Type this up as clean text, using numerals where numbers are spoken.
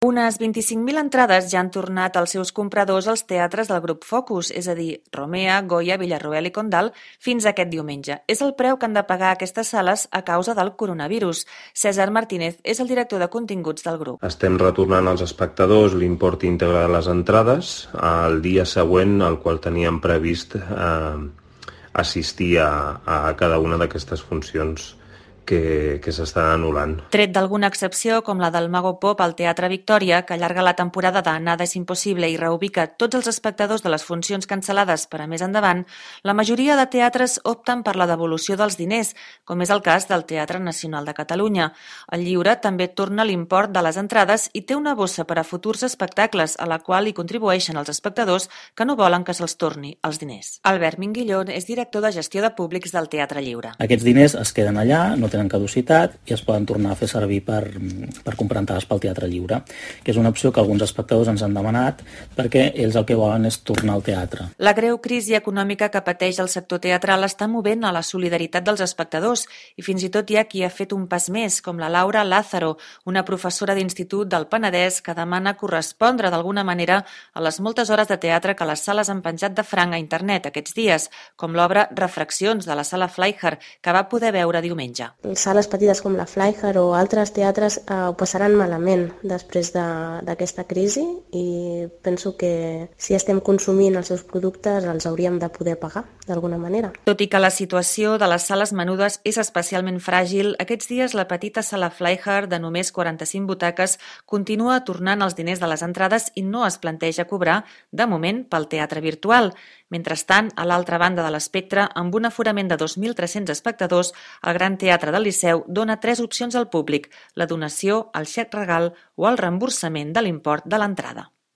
Unes 25.000 entrades ja han tornat als seus compradors als teatres del grup Focus, és a dir, Romea, Goya, Villarroel i Condal, fins aquest diumenge. És el preu que han de pagar aquestes sales a causa del coronavirus. César Martínez és el director de continguts del grup. Estem retornant als espectadors l'import íntegre de les entrades el dia següent al qual teníem previst assistir a cada una d'aquestes funcions que s'estan anul·lant. Tret d'alguna excepció, com la del Mago Pop al Teatre Victòria, que allarga la temporada de Nada és impossible i reubica tots els espectadors de les funcions cancel·lades per a més endavant, la majoria de teatres opten per la devolució dels diners, com és el cas del Teatre Nacional de Catalunya. El Lliure també torna l'import de les entrades i té una bossa per a futurs espectacles, a la qual hi contribueixen els espectadors que no volen que se'ls torni els diners. Albert Minguillón és director de gestió de públics del Teatre Lliure. Aquests diners es queden allà, no tenen caducitat i es poden tornar a fer servir per comprar entrades pel Teatre Lliure, que és una opció que alguns espectadors ens han demanat perquè ells el que volen és tornar al teatre. La greu crisi econòmica que pateix el sector teatral està movent a la solidaritat dels espectadors i fins i tot hi ha qui ha fet un pas més, com la Laura Lázaro, una professora d'institut del Penedès que demana correspondre d'alguna manera a les moltes hores de teatre que les sales han penjat de franc a internet aquests dies, com l'obra Refraccions de la Sala Fleischer, que va poder veure diumenge. Sales petites com la Fleischer o altres teatres ho passaran malament després d'aquesta crisi i penso que si estem consumint els seus productes els hauríem de poder pagar d'alguna manera. Tot i que la situació de les sales menudes és especialment fràgil, aquests dies la petita Sala Fleischer de només 45 butaques continua tornant els diners de les entrades i no es planteja cobrar, de moment, pel teatre virtual. Mentrestant, a l'altra banda de l'espectre, amb un aforament de 2.300 espectadors, el Gran Teatre del Liceu dona 3 opcions al públic: la donació, el xec regal o el reemborsament de l'import de l'entrada.